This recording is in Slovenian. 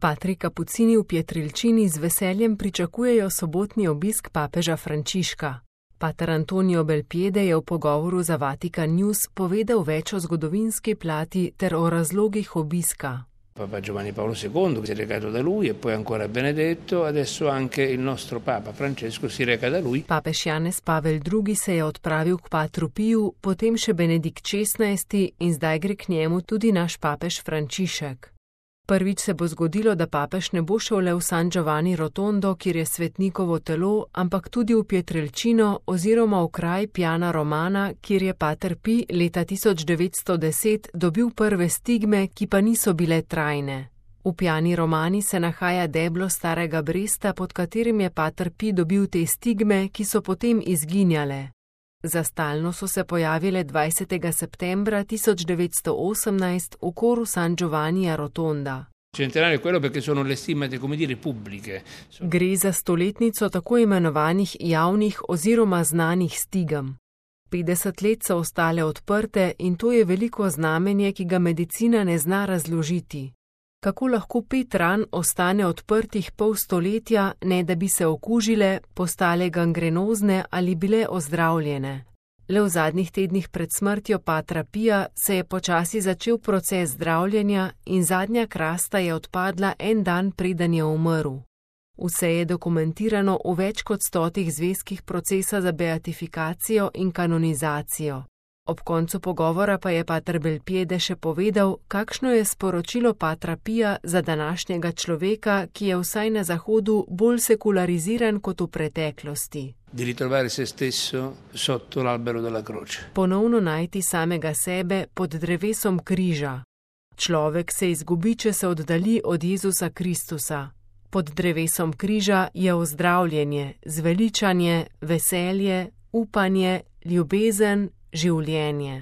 Patri kapucini v Pietrelcini z veseljem pričakujejo sobotni obisk papeža Frančiška. Pater Antonio Belpiede je v pogovoru za Vatican News povedal več o zgodovinski plati ter o razlogih obiska. Papa Giovanni Paolo II si è recato da lui e poi ancora Benedetto, adesso anche il nostro Papa Francesco si reca da lui. Papež Janez Pavel II se je odpravil k Patru Piju, potem še Benedikt XVI in zdaj gre k njemu tudi naš papež Frančišek. Prvič se bo zgodilo, da papež ne bo šel le v San Giovanni Rotondo, kjer je svetnikovo telo, ampak tudi v Pietrelcino oziroma v kraj Piana Romana, kjer je Pater Pij leta 1910 dobil prve stigme, ki pa niso bile trajne. V Piani Romani se nahaja deblo starega Bresta, pod katerim je Pater Pij dobil te stigme, ki so potem izginjale. Za stalno so se pojavile 20. septembra 1918 v koru San Giovannija Rotonda. Centenario è quello perché sono le stigmate, come dire, pubbliche. Gre za stoletnico tako imenovanih javnih oziroma znanih stigem. 50 let so ostale odprte in to je veliko znamenje, ki ga medicina ne zna razložiti. Kako lahko 5 ran ostane odprtih pol stoletja, ne da bi se okužile, postale gangrenozne ali bile ozdravljene? Le v zadnjih tednih pred smrtjo Patra Pija se je počasi začel proces zdravljenja in zadnja krasta je odpadla en dan, preden je umrl. Vse je dokumentirano v več kot 100 zvezkih procesa za beatifikacijo in kanonizacijo. Ob koncu pogovora pa je pater Belpiede še povedal, kakšno je sporočilo Patra Pija za današnjega človeka, ki je vsaj na Zahodu bolj sekulariziran kot v preteklosti. Di ritrovare se stesso sotto l'albero della croce. Ponovno najti samega sebe pod drevesom križa. Človek se izgubi, če se oddalji od Jezusa Kristusa. Pod drevesom križa je ozdravljenje, zveličanje, veselje, upanje, ljubezen, življenje.